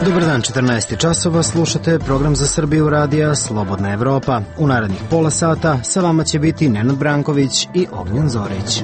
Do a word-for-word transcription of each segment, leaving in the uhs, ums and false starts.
Dobar dan, četrnaest časova, slušate program za Srbiju radija Slobodna Evropa. U narednih pola sata sa vama će biti Nenad Branković i Ognjen Zorić.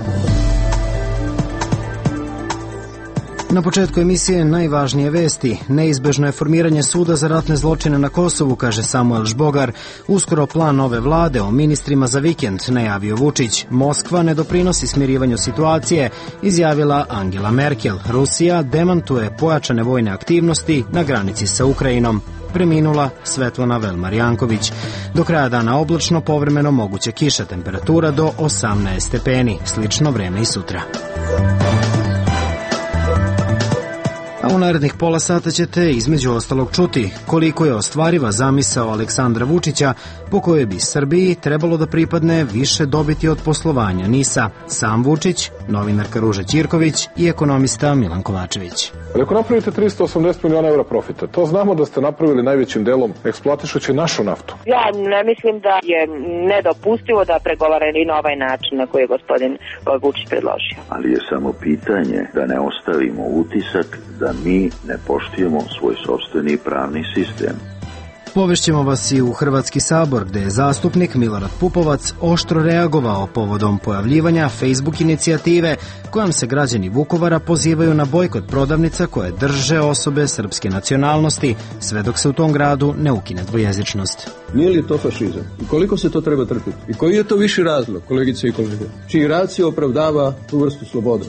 Na početku emisije najvažnije vesti. Neizbežno je formiranje suda za ratne zločine na Kosovu, kaže Samuel Žbogar. Uskoro plan nove vlade o ministrima za vikend, najavio Vučić. Moskva ne doprinosi smirivanju situacije, izjavila Angela Merkel. Rusija demantuje pojačane vojne aktivnosti na granici sa Ukrajinom. Preminula Svetlana Velmar Janković. Do kraja dana oblačno, povremeno moguća kiša, temperatura do osamnaest stepeni. Slično vreme i sutra. A u narednih pola sata ćete između ostalog čuti koliko je ostvariva zamisao Aleksandra Vučića po kojoj bi Srbiji trebalo da pripadne više dobiti od poslovanja NIS-a. Sam Vučić, novinarka Ruža Ćirković i ekonomista Milan Kovačević. Ako napravite tristo osamdeset miliona evra profita, to znamo da ste napravili najvećim delom eksploatišući našu naftu. Ja ne mislim da je nedopustivo da pregovarali na ovaj način na koji je gospodin Vučić predložio. Ali je samo pitanje da ne ostavimo utisak da mi ne poštujemo svoj sopstveni pravni sistem. Povešćemo vas i u Hrvatski sabor, gde je zastupnik Milorad Pupovac oštro reagovao povodom pojavljivanja Facebook inicijative kojom se građani Vukovara pozivaju na bojkot prodavnica koje drže osobe srpske nacionalnosti, sve dok se u tom gradu ne ukine dvojezičnost. Nije li to fašizam? I koliko se to treba trpiti? I koji je to viši razlog, kolegice i kolege, čiji racio opravdava tu vrstu slobode?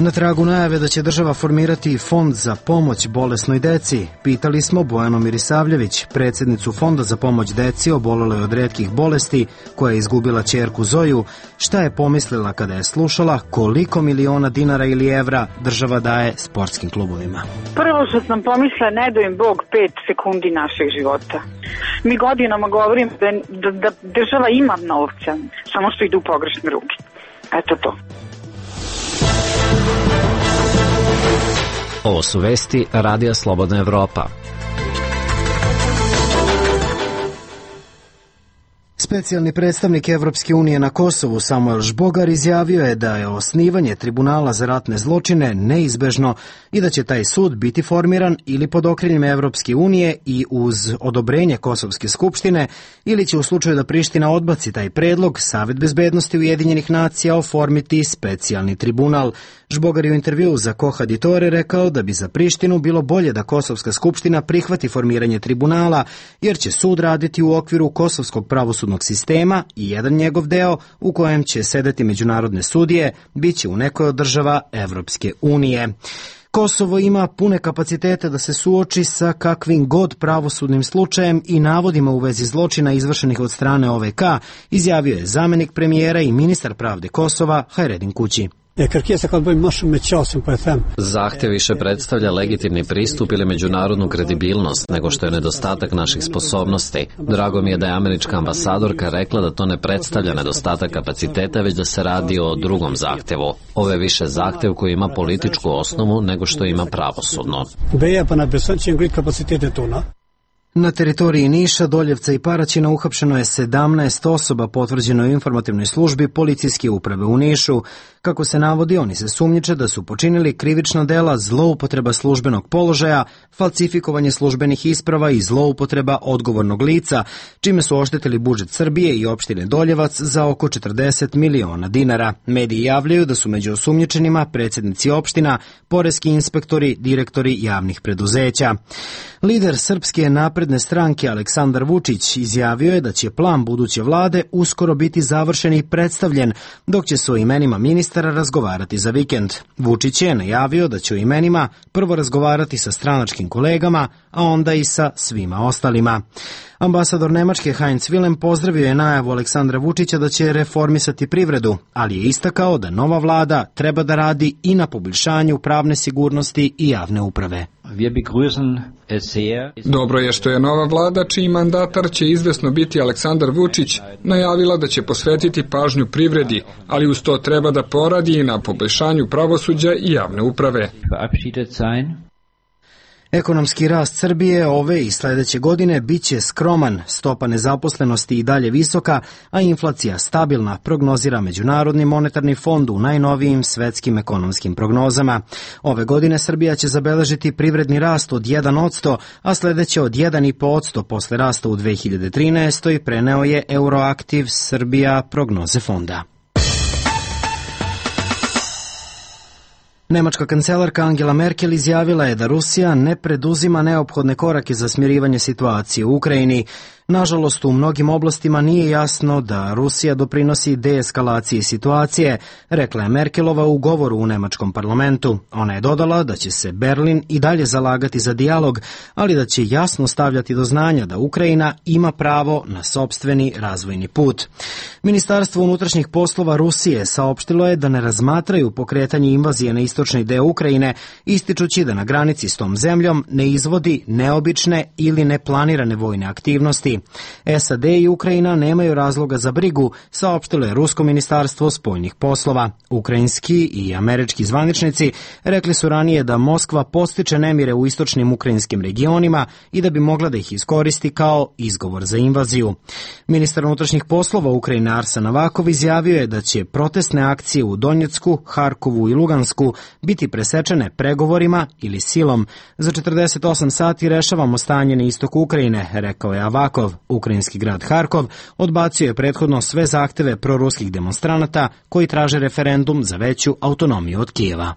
Na tragu najave da će država formirati fond za pomoć bolesnoj deci, pitali smo Bojanu Mirisavljević, predsjednicu Fonda za pomoć deci oboleloj od retkih bolesti, koja je izgubila ćerku Zoju, šta je pomislila kada je slušala koliko miliona dinara ili evra država daje sportskim klubovima. Prvo što sam pomislila, ne do im Bog pet sekundi našeg života. Mi godinama govorim da, da, da država ima novca, samo što idu u pogrešne ruke. Eto to. Ovo su vesti Radija Slobodna Evropa. Specijalni predstavnik Evropske unije na Kosovu Samuel Žbogar izjavio je da je osnivanje tribunala za ratne zločine neizbežno i da će taj sud biti formiran ili pod okriljem Evropske unije i uz odobrenje Kosovske skupštine ili će u slučaju da Priština odbaci taj predlog Savet bezbednosti Ujedinjenih nacija oformiti specijalni tribunal. Žbogar je u intervjuu za Koha Ditore rekao da bi za Prištinu bilo bolje da Kosovska skupština prihvati formiranje tribunala, jer će sud raditi u okviru kosovskog pravosudnog sistema i jedan njegov deo u kojem će sedeti međunarodne sudije biće u nekoj od država Evropske unije. Kosovo ima pune kapacitete da se suoči sa kakvim god pravosudnim slučajem i navodima u vezi zločina izvršenih od strane O V K, izjavio je zamenik premijera i ministar pravde Kosova Hajredin Kući. Zahtev više predstavlja legitimni pristup ili međunarodnu kredibilnost nego što je nedostatak naših sposobnosti. Drago mi je da je američka ambasadorka rekla da to ne predstavlja nedostatak kapaciteta, već da se radi o drugom zahtevu. Ovo je više zahtev koji ima političku osnovu nego što ima pravosudno. Na teritoriji Niša, Doljevca i Paraćina uhapšeno je sedamnaest osoba, potvrđeno u informativnoj službi policijske uprave u Nišu. Kako se navodi, oni se sumnjiče da su počinili krivična dela zloupotreba službenog položaja, falsifikovanje službenih isprava i zloupotreba odgovornog lica, čime su oštetili budžet Srbije i opštine Doljevac za oko četrdeset miliona dinara. Mediji javljaju da su među osumnjičenima predsjednici opština, poreski inspektori, direktori javnih preduzeća. Lider Srpske napredne stranke Aleksandar Vučić izjavio je da će plan buduće vlade uskoro biti završen i predstavljen, dok će se o imenima ministara razgovarati za vikend. Vučić je najavio da će o imenima prvo razgovarati sa stranačkim kolegama, a onda i sa svima ostalima. Ambasador Nemačke Heinz Wilhelm pozdravio je najavu Aleksandra Vučića da će reformisati privredu, ali je istakao da nova vlada treba da radi i na poboljšanju pravne sigurnosti i javne uprave. Dobro je što je nova vlada, čiji mandatar će izvesno biti Aleksandar Vučić, najavila da će posvetiti pažnju privredi, ali uz to treba da poradi i na poboljšanju pravosuđa i javne uprave. Ekonomski rast Srbije ove i sledeće godine biće skroman, stopa nezaposlenosti i dalje visoka, a inflacija stabilna, prognozira Međunarodni monetarni fond u najnovijim svetskim ekonomskim prognozama. Ove godine Srbija će zabeležiti privredni rast od jedan posto, a sledeće od jedan i po posto posle rasta u dve hiljade trinaestoj. preneo je Euroaktiv Srbija prognoze fonda. Nemačka kancelarka Angela Merkel izjavila je da Rusija ne preduzima neophodne korake za smirivanje situacije u Ukrajini. Nažalost, u mnogim oblastima nije jasno da Rusija doprinosi deeskalaciji situacije, rekla je Merkelova u govoru u nemačkom parlamentu. Ona je dodala da će se Berlin i dalje zalagati za dijalog, ali da će jasno stavljati do znanja da Ukrajina ima pravo na sopstveni razvojni put. Ministarstvo unutrašnjih poslova Rusije saopštilo je da ne razmatraju pokretanje invazije na istočni deo Ukrajine, ističući da na granici s tom zemljom ne izvodi neobične ili neplanirane vojne aktivnosti. S A D i Ukrajina nemaju razloga za brigu, saopštilo je Rusko ministarstvo spoljnih poslova. Ukrajinski i američki zvaničnici rekli su ranije da Moskva podstiče nemire u istočnim ukrajinskim regionima i da bi mogla da ih iskoristi kao izgovor za invaziju. Ministar unutrašnjih poslova Ukrajine Arsen Avakov izjavio je da će protestne akcije u Donjecku, Harkovu i Lugansku biti presečene pregovorima ili silom. Za četrdeset osam sati rešavamo stanje na istoku Ukrajine, rekao je Avakov. Ukrajinski grad Harkov odbacio je prethodno sve zahteve proruskih demonstranata koji traže referendum za veću autonomiju od Kijeva.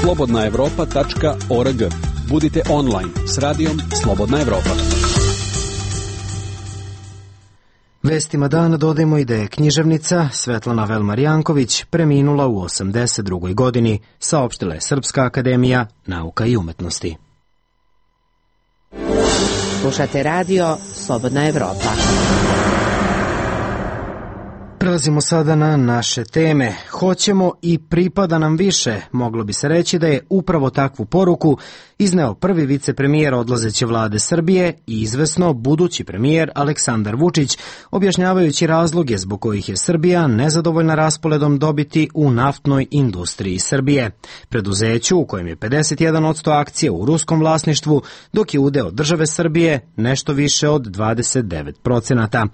slobodna evropa tačka org. Budite online s radijom Slobodna Evropa. Vestima dana dodajemo i da je književnica Svetlana Velmar-Janković preminula u osamdeset drugoj godini, saopštila je Srpska akademija nauka i umetnosti. Slušate radio Slobodna Evropa. Prelazimo sada na naše teme. Hoćemo i pripada nam više. Moglo bi se reći da je upravo takvu poruku izneo prvi vicepremijer odlazeće vlade Srbije i izvesno budući premijer Aleksandar Vučić, objašnjavajući razloge zbog kojih je Srbija nezadovoljna rasporedom dobiti u naftnoj industriji Srbije, preduzeću u kojem je pedeset jedan posto akcija u ruskom vlasništvu, dok je udeo države Srbije nešto više od dvadeset devet procenata.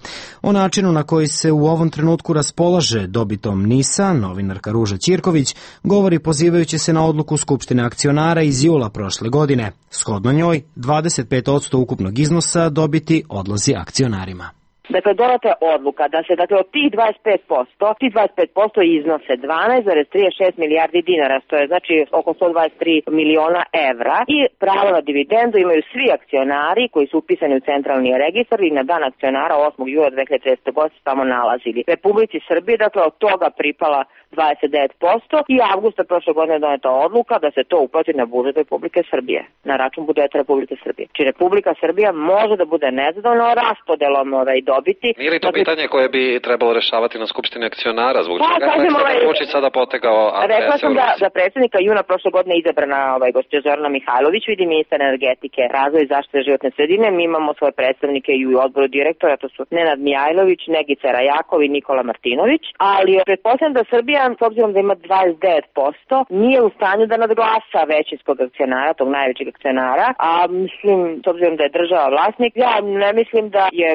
O načinu na koji se u ovom trenutku raspolaže dobitom NIS-a, novinarka Ruža Ćirković govori pozivajući se na odluku Skupštine akcionara iz jula prošle godine. Shodno njoj, dvadeset pet posto ukupnog iznosa dobiti odlazi akcionarima. Dakle, doneta je odluka da se, dakle, od tih dvadeset pet posto, tih dvadeset pet posto iznose dvanaest zarez trideset šest milijardi dinara, što je znači oko sto dvadeset tri miliona evra, i pravo na dividendu imaju svi akcionari koji su upisani u centralni registar i na dan akcionara osmog jula dve hiljade trinaeste. godine se tamo nalazili. Republici Srbije, dakle, od toga pripala dvadeset devet posto i avgusta prošle godine je doneta odluka da se to uplati na budžet Republike Srbije, na račun budžeta Republike Srbije. Či Republika Srbija može da bude nezadovoljna raspodelom ovaj dobiti. Nije li to pitanje koje bi trebalo rešavati na Skupštini akcionara? Zbog čega je Aleksandar Vučić sada potegao A T S? Rekla sam da, da predsjednika juna prošle godine izabrana ovaj, gospođa Zorana Mihajlović, vidi ministar energetike, razvoj i zaštite životne sredine. Mi imamo svoje predstavnike i u odboru direktora, to su Nenad Mijajlović, Negica Rajakov i Nikola Martinović, ali pretpostavljam da Srbija, s obzirom da ima dvadeset devet posto, nije u stanju da nadglasa većinskog akcionara, tog najvećeg akcionara, a mislim, s obzirom da je država vlasnik, ja ne mislim da je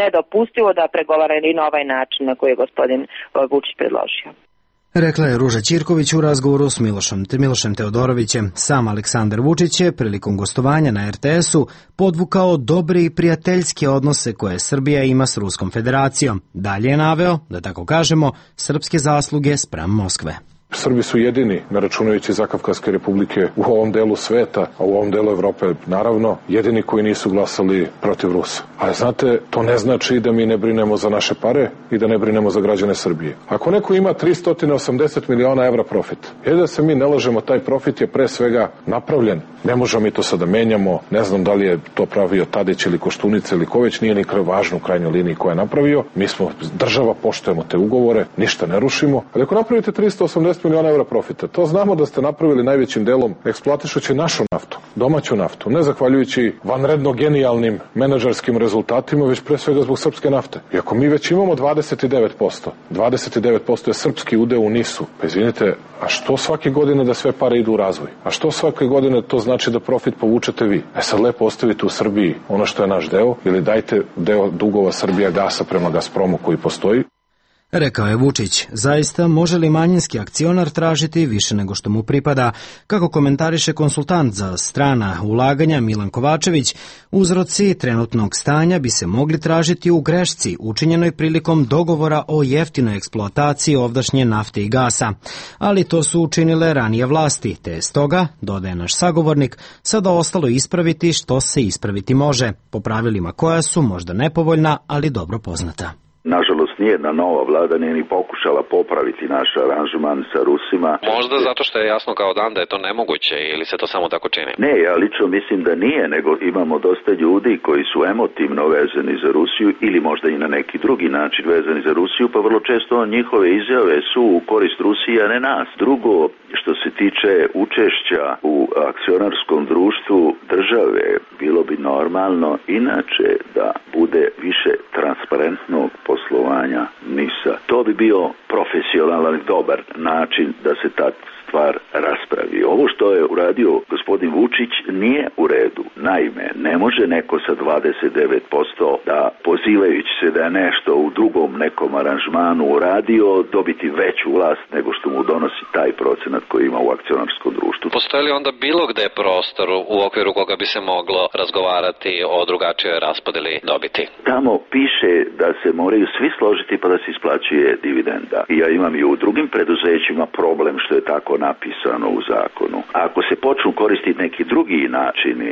nedopustivo da pregovarali na ovaj način na koji je gospodin Vučić predložio. Rekla je Ruža Ćirković u razgovoru s Milošem, Milošem Teodorovićem. Sam Aleksandar Vučić je prilikom gostovanja na R T S-u podvukao dobre i prijateljske odnose koje Srbija ima s Ruskom federacijom. Dalje je naveo, da tako kažemo, srpske zasluge spram Moskve. Srbi su jedini, ne računajući Zakavkaske republike, u ovom delu sveta, a u ovom delu Evrope, naravno, jedini koji nisu glasali protiv Rusa. A znate, to ne znači da mi ne brinemo za naše pare i da ne brinemo za građane Srbije. Ako neko ima tristo osamdeset miliona evra profit, je da se mi ne lažemo, taj profit je pre svega napravljen. Ne možemo mi to sada menjamo, ne znam da li je to pravio Tadić ili Koštunica ili ko već, nije ni važno u krajnjoj liniji ko je napravio. Mi smo država, poštujemo te ugovore, ništa ne rušimo. Ali ako napravite tristo osamdeset šest miliona evra profita. To znamo da ste napravili najvećim delom eksploatišući našu naftu, domaću naftu, ne zahvaljujući vanredno genijalnim menadžerskim rezultatima, već pre svega zbog srpske nafte. I ako mi već imamo dvadeset devet posto, dvadeset devet posto je srpski udeo u nisu, pa izvinite, a što svake godine da sve pare idu u razvoj? A što svake godine to znači da profit povučete vi? E sad lepo ostavite u Srbiji ono što je naš deo ili dajte deo dugova Srbija gasa prema Gazpromu koji postoji. Rekao je Vučić, zaista može li manjinski akcionar tražiti više nego što mu pripada? Kako komentariše konsultant za strana ulaganja Milan Kovačević, uzroci trenutnog stanja bi se mogli tražiti u grešci učinjenoj prilikom dogovora o jeftinoj eksploataciji ovdašnje nafte i gasa. Ali to su učinile ranije vlasti, te je stoga, dodaje naš sagovornik, sada ostalo ispraviti što se ispraviti može, po pravilima koja su možda nepovoljna, ali dobro poznata. Nažalost, nijedna nova vlada nije ni pokušala popraviti naš aranžman sa Rusima. Možda zato što je jasno kao dan da je to nemoguće ili se to samo tako čini? Ne, ja lično mislim da nije, nego imamo dosta ljudi koji su emotivno vezani za Rusiju ili možda i na neki drugi način vezani za Rusiju, pa vrlo često njihove izjave su u korist Rusije, a ne nas. Drugo, što se tiče učešća u akcionarskom društvu države, bilo bi normalno inače da bude više transparentnog poslovanja NIS-a. To bi bio profesionalan i dobar način da se ta stvar raspravi. Ovo što je uradio gospodin Vučić nije u redu. Naime, ne može neko sa dvadeset devet posto da, pozivajući se da je nešto u drugom nekom aranžmanu uradio, dobiti veću vlast nego što mu donosi taj procenat koji ima u akcionarskom društvu. Postoji li onda bilo gde prostor u okviru koga bi se moglo razgovarati o drugačijoj raspodeli dobiti? Tamo piše da se moraju svi složiti pa da se isplaćuje dividenda. I ja imam i u drugim preduzećima problem što je tako napisano u zakonu. A ako se počnu koristiti neki drugi načini,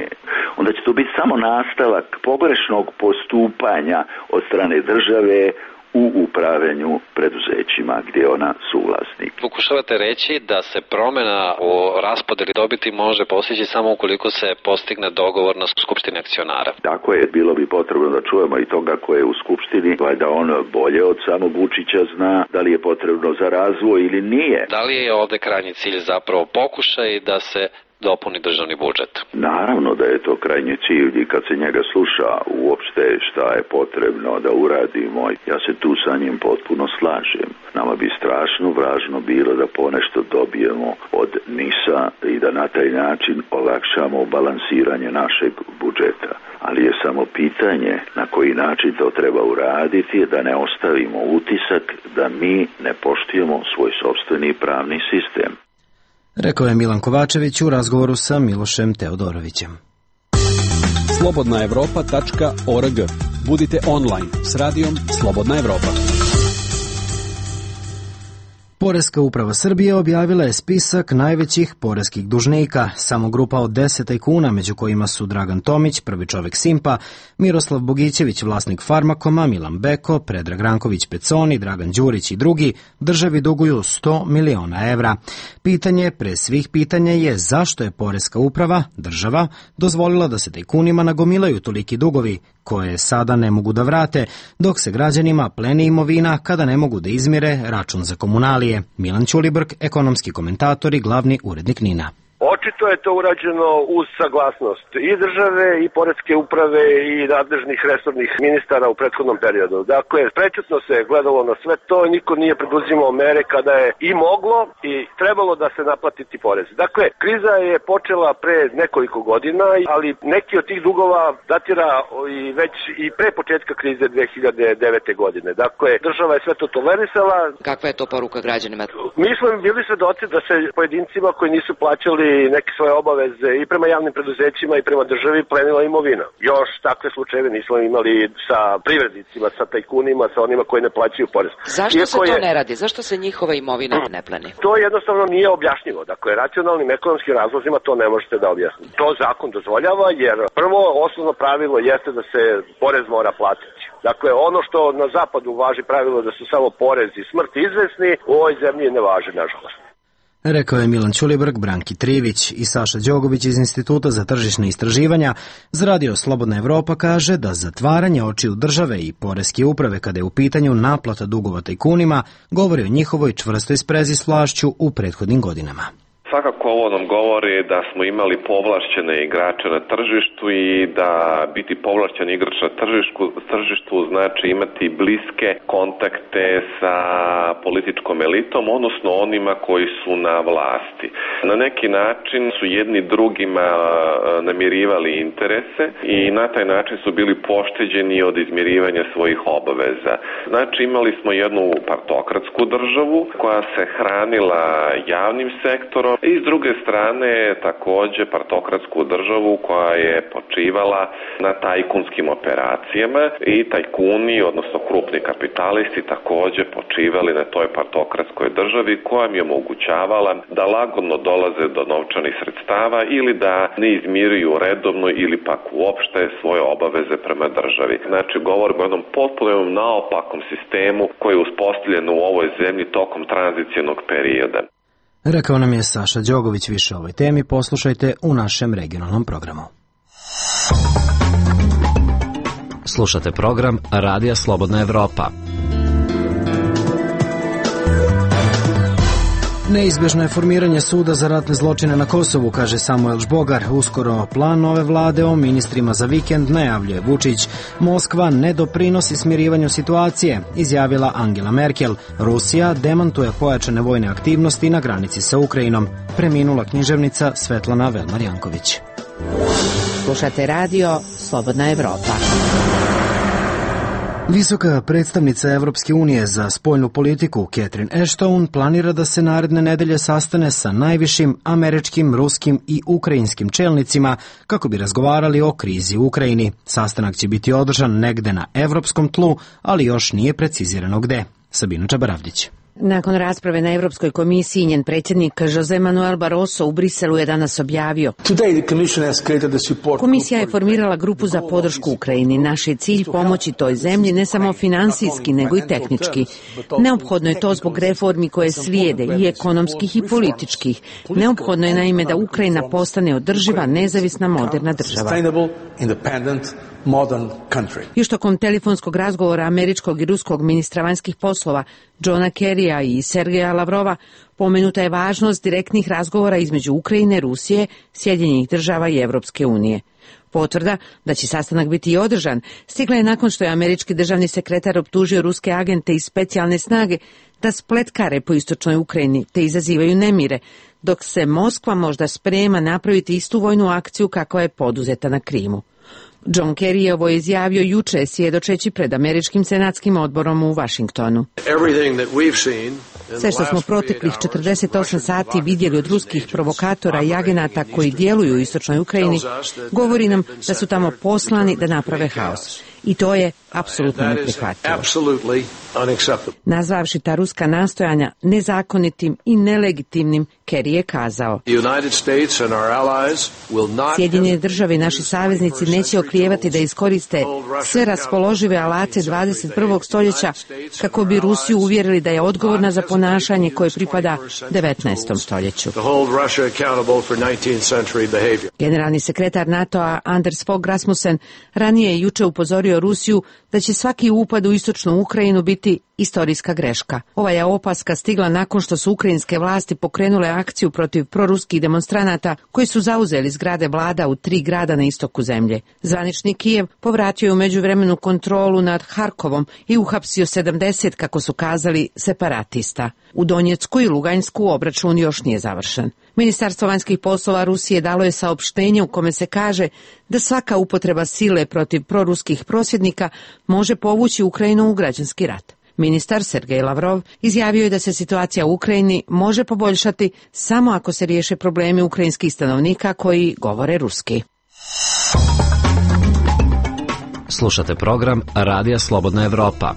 onda će to biti samo nastavak pogrešnog postupanja od strane države u upravljanju preduzećima gdje je ona suvlasnik. Pokušavate reći da se promjena u raspodeli dobiti može postići samo ukoliko se postigne dogovor na skupštini akcionara. Tako je, bilo bi potrebno da čujemo i toga ko je u skupštini, da on bolje od samog Vučića zna da li je potrebno za razvoj ili nije. Da li je ovde krajnji cilj zapravo pokušaj da se dopuni državni budžet? Naravno da je to krajnji cilj i kad se njega sluša uopšte šta je potrebno da uradimo, ja se tu sa njim potpuno slažem. Nama bi strašno važno bilo da ponešto dobijemo od NIS-a i da na taj način olakšamo balansiranje našeg budžeta. Ali je samo pitanje na koji način to treba uraditi, da ne ostavimo utisak da mi ne poštujemo svoj sopstveni pravni sistem. Rekao je Milan Kovačević u razgovoru sa Milošem Teodorovićem. slobodna evropa tačka org. Budite online s radijom Slobodna Evropa. Poreska uprava Srbije objavila je spisak najvećih poreskih dužnika. Samo grupa od deset tajkuna, među kojima su Dragan Tomić, prvi čovek Simpa, Miroslav Bogićević, vlasnik Farmakoma, Milan Beko, Predrag Ranković Peconi, Dragan Đurić i drugi, državi duguju sto miliona evra. Pitanje pre svih pitanja je zašto je poreska uprava, država, dozvolila da se tajkunima nagomilaju toliki dugovi, koje sada ne mogu da vrate, dok se građanima pleni imovina kada ne mogu da izmire račun za komunalije. Milan Ćulibrk, ekonomski komentator i glavni urednik NIN-a. Očito je to urađeno uz saglasnost i države i poreske uprave i nadležnih resornih ministara u prethodnom periodu. Dakle, prečutno se gledalo na sve to i niko nije preduzimao mere kada je i moglo i trebalo da se naplatiti porez. Dakle, kriza je počela pre nekoliko godina, ali neki od tih dugova datira i već i pre početka krize dve hiljade devete. godine. Dakle, država je sve to tolerisala. Kakva je to poruka građanima? Mi smo bili svedoci da se pojedincima koji nisu plaćali neke svoje obaveze i prema javnim preduzećima i prema državi plenila imovina. Još takve slučajeve nismo imali sa privrednicima, sa tajkunima, sa onima koji ne plaćaju porez. Zašto Iako se to je... ne radi? Zašto se njihova imovina ne pleni? To jednostavno nije objašnjivo. Dakle, racionalnim ekonomskim razlozima to ne možete da objasnite. To zakon dozvoljava jer prvo osnovno pravilo jeste da se porez mora platiti. Dakle, ono što na zapadu važi pravilo da su samo porez i smrt izvesni, u ovoj zemlji ne važi, nažalost. Rekao je Milan Ćulibrk, Branki Trivić i Saša Đogović iz Instituta za tržišne istraživanja. Za radio Slobodna Evropa kaže da zatvaranje očiju države i poreske uprave kada je u pitanju naplata dugova tajkunima govori o njihovoj čvrstoj sprezi s vlašću u prethodnim godinama. Svakako ovo nam govori da smo imali povlašćene igrače na tržištu i da biti povlašćen igrač na tržištu, tržištu znači imati bliske kontakte sa političkom elitom, odnosno onima koji su na vlasti. Na neki način su jedni drugima namirivali interese i na taj način su bili pošteđeni od izmirivanja svojih obaveza. Znači imali smo jednu partokratsku državu koja se hranila javnim sektorom, i s druge strane takođe partokratsku državu koja je počivala na tajkunskim operacijama i tajkuni, odnosno krupni kapitalisti takođe počivali na toj partokratskoj državi koja im je omogućavala da lagodno dolaze do novčanih sredstava ili da ne izmiruju redovno ili pak uopšte svoje obaveze prema državi. Znači govorimo o jednom potpuno naopakom sistemu koji je uspostavljen u ovoj zemlji tokom tranzicionog perioda. Rekao nam je Saša Đogović. Više o ovoj temi poslušajte u našem regionalnom programu. Slušate program Radija Slobodna Evropa. Neizbježno je formiranje suda za ratne zločine na Kosovu, kaže Samuel Žbogar. Uskoro plan nove vlade o ministrima za vikend najavljuje Vučić. Moskva ne doprinosi smirivanju situacije, izjavila Angela Merkel. Rusija demantuje pojačane vojne aktivnosti na granici sa Ukrajinom. Preminula književnica Svetlana Velmar-Janković. Slušate radio Slobodna Evropa. Visoka predstavnica Evropske unije za spoljnu politiku Catherine Ashton planira da se naredne nedelje sastane sa najvišim američkim, ruskim i ukrajinskim čelnicima kako bi razgovarali o krizi u Ukrajini. Sastanak će biti održan negde na evropskom tlu, ali još nije precizirano gde. Sabina Čabaravdić. Nakon rasprave na Evropskoj komisiji, njen predsjednik Jose Manuel Barroso u Briselu je danas objavio: Komisija je formirala grupu za podršku Ukrajini. Naš je cilj pomoći toj zemlji ne samo finansijski, nego i tehnički. Neophodno je to zbog reformi koje slijede, i ekonomskih i političkih. Neophodno je naime da Ukrajina postane održiva, nezavisna, moderna država. Još tokom telefonskog razgovora američkog i ruskog ministra vanjskih poslova Johna Kerrya i Sergeja Lavrova pomenuta je važnost direktnih razgovora između Ukrajine, Rusije, Sjedinjenih država i Evropske unije. Potvrda da će sastanak biti i održan stigla je nakon što je američki državni sekretar optužio ruske agente i specijalne snage da spletkare po istočnoj Ukrajini te izazivaju nemire, dok se Moskva možda sprema napraviti istu vojnu akciju kakva je poduzeta na Krimu. John Kerry je ovo izjavio juče svjedočeći pred američkim senatskim odborom u Vašingtonu. Sve što smo proteklih četrdeset osam sati vidjeli od ruskih provokatora i agenata koji djeluju u istočnoj Ukrajini govori nam da su tamo poslani da naprave haos. I to je apsolutno neprihvatljivo. Nazvavši ta ruska nastojanja nezakonitim i nelegitimnim, Kerry je kazao: Sjedinjene države i naši saveznici neće oklijevati da iskoriste sve raspoložive alate dvadeset prvog stoljeća kako bi Rusiju uvjerili da je odgovorna za ponašanje koje pripada devetnaestom stoljeću. Generalni sekretar NATO-a Anders Fogh Rasmussen ranije je juče upozorio Rusiju da će svaki upad u istočnu Ukrajinu biti istorijska greška. Ova je opaska stigla nakon što su ukrajinske vlasti pokrenule akciju protiv proruskih demonstranata koji su zauzeli zgrade vlada u tri grada na istoku zemlje. Zvanični Kijev povratio je u međuvremenu kontrolu nad Harkovom i uhapsio sedamdeset, kako su kazali, separatista. U Donjecku i Luganjsku obračun još nije završen. Ministarstvo vanjskih poslova Rusije dalo je saopštenje u kome se kaže da svaka upotreba sile protiv proruskih prosvjednika može povući Ukrajinu u građanski rat. Ministar Sergej Lavrov izjavio je da se situacija u Ukrajini može poboljšati samo ako se riješe problemi ukrajinskih stanovnika koji govore ruski. Slušate program Radija Slobodna Evropa.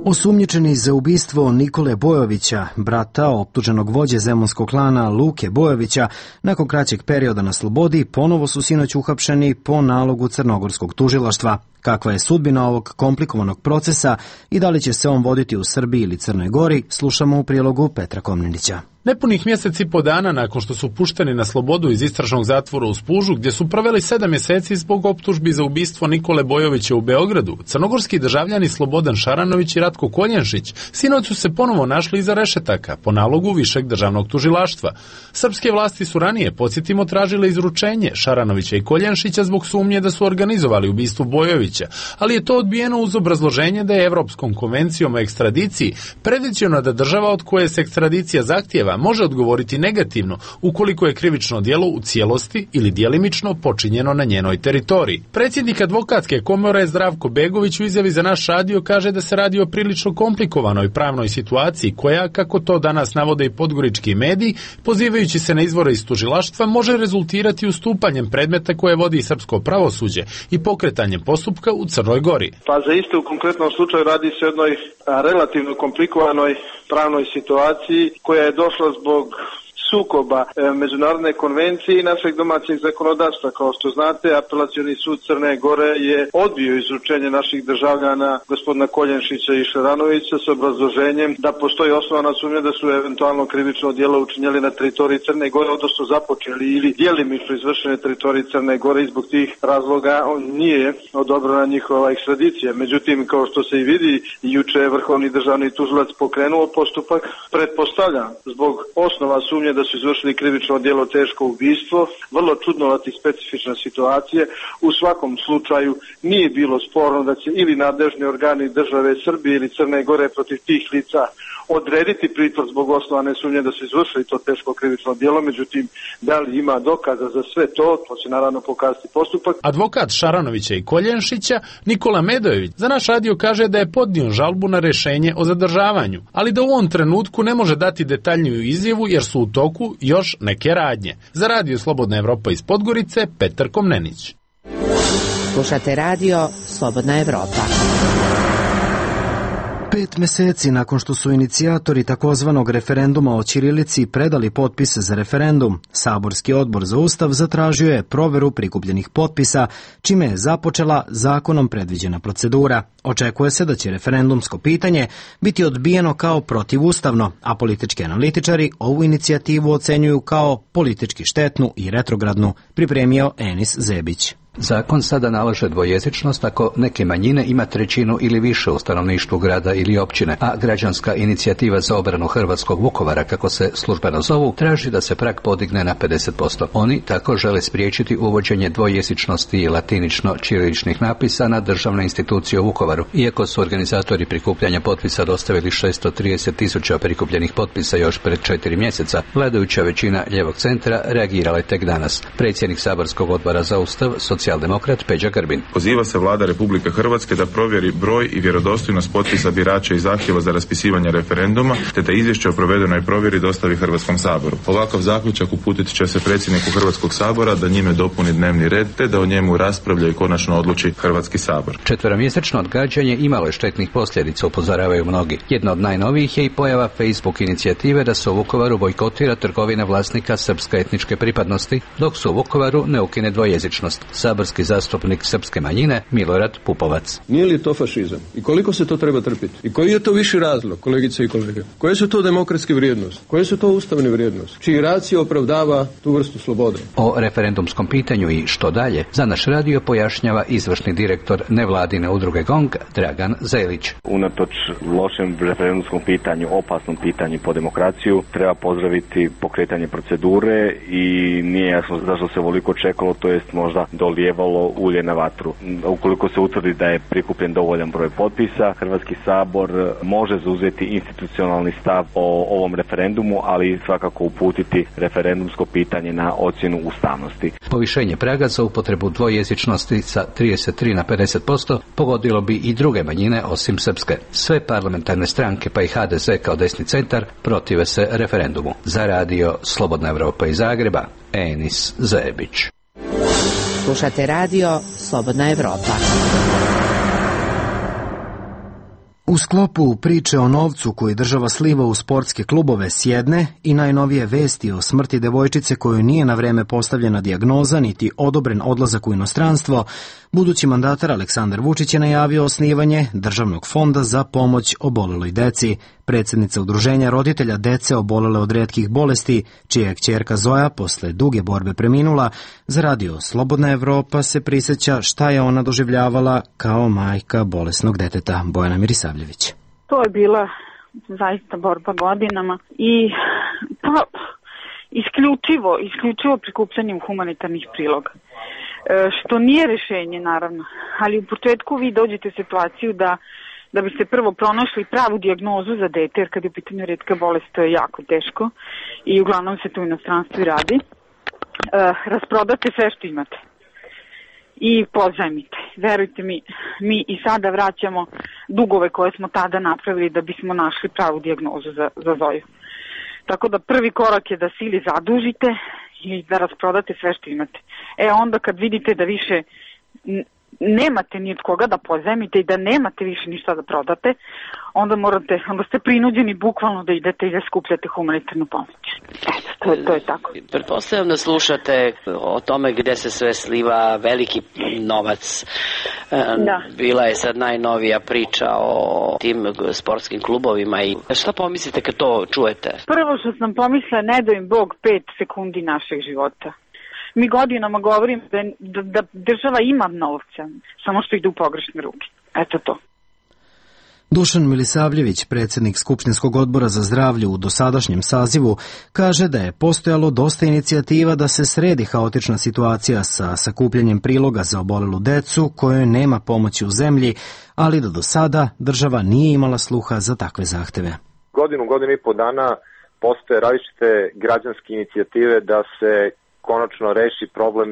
Osumnjičeni za ubistvo Nikole Bojovića, brata optuženog vođe zemunskog klana Luke Bojovića, nakon kraćeg perioda na slobodi, ponovo su sinoć uhapšeni po nalogu crnogorskog tužilaštva. Kakva je sudbina ovog komplikovanog procesa i da li će se on voditi u Srbiji ili Crnoj Gori, slušamo u prilogu Petra Komnenića. Nepunih mjesec i po dana nakon što su pušteni na slobodu iz istražnog zatvora u Spužu, gdje su proveli sedam mjeseci zbog optužbi za ubistvo Nikole Bojovića u Beogradu, crnogorski državljani Slobodan Šaranović i Ratko Koljenšić sinoć su se ponovo našli iza rešetaka po nalogu Višeg državnog tužilaštva. Srpske vlasti su ranije, podsjetimo, tražile izručenje Šaranovića i Koljenšića zbog sumnje da su organizovali ubistvo Bojovića, ali je to odbijeno uz obrazloženje da je Evropskom konvencijom o ekstradiciji predviđeno da država od koje se ekstradicija zahtijeva može odgovoriti negativno ukoliko je krivično djelo u cijelosti ili djelimično počinjeno na njenoj teritoriji. Predsjednik advokatske komore Zdravko Begović u izjavi za naš radio kaže da se radi o prilično komplikovanoj pravnoj situaciji koja, kako to danas navode i podgorički mediji, pozivajući se na izvore iz tužilaštva, može rezultirati ustupanjem predmeta koje vodi srpsko pravosuđe i pokretanjem postupka u Crnoj Gori. Pa za isto u konkretnom slučaju radi se o jednoj relativno komplikovanoj pravnoj situaciji koja je došla zbog sukoba e, međunarodne konvencije i našeg domaćeg zakonodavstva. Kao što znate, Apelacioni sud Crne Gore je odbio izručenje naših državljana gospodina Koljenšića i Šaranovića s obrazloženjem da postoji osnovana sumnja da su eventualno krivično djelo učinjeli na teritoriji Crne Gore, odnosno započeli ili djelimično izvršene teritoriji Crne Gore i zbog tih razloga on nije odobrena njihova ekstradicija. Međutim, kao što se i vidi, juče je Vrhovni državni tužilac pokrenuo postupak, pretpostavljam, zbog osnova sumnje da su izvršili krivično djelo teško ubistvo, vrlo čudnovati specifična situacija. U svakom slučaju nije bilo sporno da će ili nadležni organi države Srbije ili Crne Gore protiv tih lica odrediti pritvor zbog osnovane sumnje da su izvršili to teško krivično djelo, međutim, da li ima dokaza za sve to, to će naravno pokazati postupak. Advokat Šaranovića i Koljenšića, Nikola Medojević, za naš radio kaže da je podnio žalbu na rješenje o zadržavanju, ali da u ovom trenutku ne može dati detaljniju izjavu jer su u toku još neke radnje. Za radio Slobodna Evropa iz Podgorice, Petar Komnenić. Slušate radio Slobodna Evropa. Pet meseci nakon što su inicijatori takozvanog referenduma o ćirilici predali potpise za referendum, Saborski odbor za Ustav zatražio je proveru prikupljenih potpisa, čime je započela zakonom predviđena procedura. Očekuje se da će referendumsko pitanje biti odbijeno kao protivustavno, a politički analitičari ovu inicijativu ocenjuju kao politički štetnu i retrogradnu, pripremio Enis Zebić. Zakon sada nalaže dvojezičnost ako neke manjine ima trećinu ili više u stanovništvu grada ili općine, a građanska inicijativa za obranu hrvatskog Vukovara, kako se službeno zovu, traži da se prag podigne na pedeset posto. Oni tako žele spriječiti uvođenje dvojezičnosti i latinično-ćiriličnih napisa na državne institucije u Vukovaru. Iako su organizatori prikupljanja potpisa dostavili šesto trideset tisuća prikupljenih potpisa još pred četiri mjeseca, vladajuća većina ljevog centra reagirala je tek danas. Predsjednik Saborskog odbora za Ustav, socijaldemokrat Peđa Grbin. Poziva se Vlada Republike Hrvatske da provjeri broj i vjerodostojnost potpisa birača i zahtjeva za raspisivanje referenduma, te da izvješće o provedenoj provjeri dostavi Hrvatskom saboru. Ovakav zaključak uputit će se predsjedniku Hrvatskog sabora da njime dopuni dnevni red, te da o njemu raspravlja i konačno odluči Hrvatski sabor. Četveromjesečno odgađanje imalo je štetnih posljedica, upozoravaju mnogi. Jedna od najnovijih je i pojava Facebook inicijative da se u Vukovaru bojkotira trgovina vlasnika srpske etničke pripadnosti, dok se u Vukovaru ne ukine dvojezičnost. Saborski zastupnik srpske manjine Milorad Pupovac. Nije li to fašizam? I koliko se to treba trpiti? I koji je to viši razlog, kolegice i kolege? Koje su to demokratske vrijednosti? Koje su to ustavne vrijednosti? Čiji racija opravdava tu vrstu slobode? O referendumskom pitanju i što dalje za naš radio pojašnjava izvršni direktor nevladine udruge GONG Dragan Zelić. Unatoč lošem referendumskom pitanju, opasnom pitanju po demokraciju, treba pozdraviti pokretanje procedure i nije jasno zašto se ovoliko čekalo, to jest možda dolijevalo ulje na vatru. Ukoliko se utvrdi da je prikupljen dovoljan broj potpisa, Hrvatski sabor može zauzeti institucionalni stav o ovom referendumu, ali svakako uputiti referendumsko pitanje na ocjenu ustavnosti. Povišenje praga za upotrebu dvojezičnosti sa trideset tri na pedeset posto pogodilo bi i druge manjine osim srpske. Sve parlamentarne stranke, pa i H D Z kao desni centar, protive se referendumu. Za radio Slobodna Evropa iz Zagreba, Enis Zebić. Slušate radio Slobodna Evropa. U sklopu priče o novcu koji država sliva u sportske klubove s jedne i najnovije vesti o smrti devojčice kojoj nije na vreme postavljena dijagnoza niti odobren odlazak u inostranstvo, budući mandatar Aleksandar Vučić je najavio osnivanje Državnog fonda za pomoć oboleloj deci. Predsjednica Udruženja roditelja dece obolele od retkih bolesti, čija je kćerka Zoja posle duge borbe preminula, za radio Slobodna Evropa se prisjeća šta je ona doživljavala kao majka bolesnog deteta. Bojana Mirisavljević. To je bila zaista borba godinama i pa, isključivo, isključivo prikupljanjem humanitarnih priloga. E, što nije rešenje, naravno, ali u početku vi dođete u situaciju da da biste prvo pronašli pravu dijagnozu za dete, jer kad je u pitanju retka bolest, to je jako teško i uglavnom se tu u inostranstvu i radi. E, rasprodate sve što imate i pozajmite. Verujte mi, mi i sada vraćamo dugove koje smo tada napravili da bismo našli pravu dijagnozu za, za Zoju. Tako da prvi korak je da se ili zadužite i da rasprodate sve što imate. E onda kad vidite da više nemate ni od koga da pozajmite i da nemate više ništa da prodate, onda morate, onda ste prinuđeni bukvalno da idete i da skupljate humanitarnu pomoć. Eto, to, to je tako. Pretpostavljam da slušate o tome gde se sve sliva veliki novac. Da. Bila je sad najnovija priča o tim sportskim klubovima i šta pomislite kad to čujete? Prvo što sam pomislila, ne da im Bog pet sekundi našeg života. Mi godinama govorim da, da, da država ima novca, samo što ide u pogrešne ruke. Eto to. Dušan Milisavljević, predsjednik Skupštinskog odbora za zdravlje u dosadašnjem sazivu, kaže da je postojalo dosta inicijativa da se sredi haotična situacija sa sakupljanjem priloga za obolelu decu kojoj nema pomoći u zemlji, ali da do sada država nije imala sluha za takve zahteve. Godinu, godinu i po dana postoje različite građanske inicijative da se konačno reši problem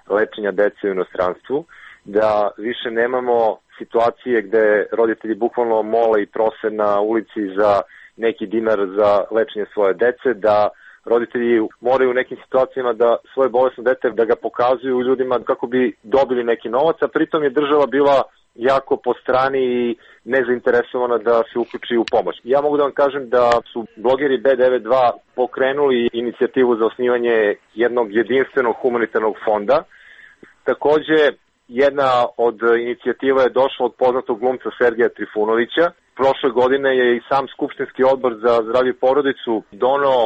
lečenja dece u inostranstvu, da više nemamo situacije gde roditelji bukvalno mole i prose na ulici za neki dinar za lečenje svoje dece, da roditelji moraju u nekim situacijama da svoje bolesno dete da ga pokazuju ljudima kako bi dobili neki novac, a pritom je država bila jako po strani i nezainteresovana da se uključi u pomoć. Ja mogu da vam kažem da su blogeri B devedeset dva pokrenuli inicijativu za osnivanje jednog jedinstvenog humanitarnog fonda. Takođe, jedna od inicijativa je došla od poznatog glumca Sergeja Trifunovića. Prošle godine je i sam Skupštinski odbor za zdravlje i porodicu doneo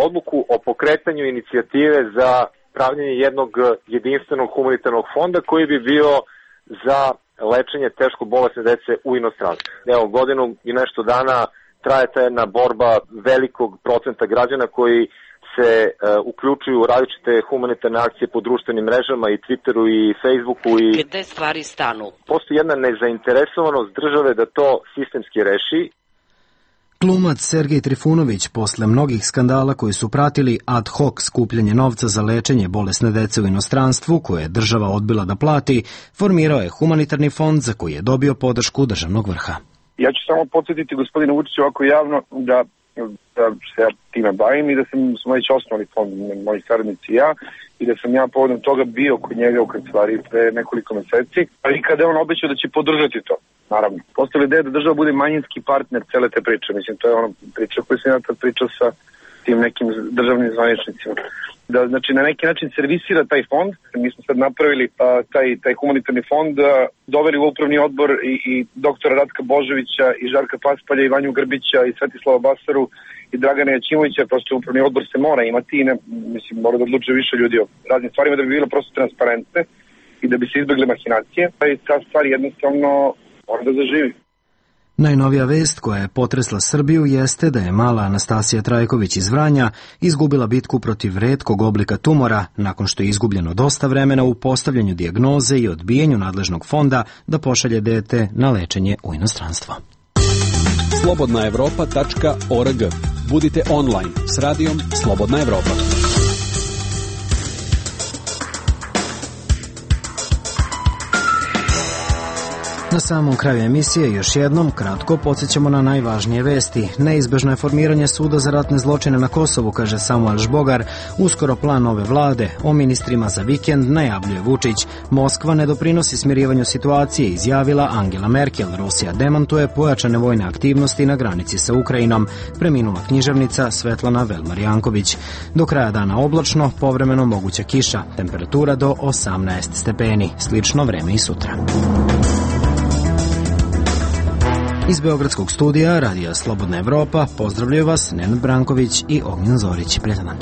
odluku o pokretanju inicijative za pravljenje jednog jedinstvenog humanitarnog fonda koji bi bio za lečenje teško bolesne dece u inostranstvu. Evo, godinu i nešto dana traje ta jedna borba velikog procenta građana koji se uh, uključuju u različite humanitarne akcije po društvenim mrežama i Twitteru i Facebooku. I gde stvari stanu? Postoji jedna nezainteresovanost države da to sistemski reši. Glumac Sergej Trifunović, posle mnogih skandala koji su pratili ad hoc skupljanje novca za lečenje bolesne dece u inostranstvu, koje je država odbila da plati, formirao je humanitarni fond za koji je dobio podršku državnog vrha. Ja ću samo podsjetiti gospodinu Vučiću ovako javno da, da se ja time bavim i da sam, smo već osnovali fond, moji saradnici i ja, i da sam ja povodom toga bio kod njega u kancelariji pre nekoliko meseci, ali kada je on obećao da će podržati to. Naravno, postoji ideja da država bude manjinski partner cele te priče. Mislim, to je ona priča koju sam ja tad pričao sa tim nekim državnim zvaničnicima. Da, znači, na neki način servisira taj fond. Mi smo sad napravili a, taj, taj humanitarni fond, a, doveli u upravni odbor i, i doktora Ratka Božovića i Žarka Paspalja i Vanju Grbića i Svetislava Basaru i Dragana Jaćimovića. Prosto upravni odbor se mora imati i ne, mislim, mora da odlučuje više ljudi o raznim stvarima da bi bilo prosto transparentne i da bi se izbegle mahinacije. I ta stvar jednostavno mora da zaživi. Najnovija vest koja je potresla Srbiju jeste da je mala Anastasija Trajković iz Vranja izgubila bitku protiv retkog oblika tumora nakon što je izgubljeno dosta vremena u postavljanju dijagnoze i odbijenju nadležnog fonda da pošalje dete na lečenje u inostranstvo. slobodna evropa tačka org. Budite online s radijom Slobodna Evropa. Na samom kraju emisije još jednom kratko podsjećamo na najvažnije vesti. Neizbežno je formiranje suda za ratne zločine na Kosovu, kaže Samuel Žbogar. Uskoro plan nove vlade. O ministrima za vikend najavljuje Vučić. Moskva ne doprinosi smirivanju situacije, izjavila Angela Merkel. Rusija demantuje pojačane vojne aktivnosti na granici sa Ukrajinom. Preminula književnica Svetlana Velmar-Janković. Do kraja dana oblačno, povremeno moguća kiša. Temperatura do osamnaest stepeni. Slično vreme i sutra. Iz Beogradskog studija Radija Slobodna Evropa pozdravljaju vas Nenad Branković i Ognjen Zorić. Prijetan dan.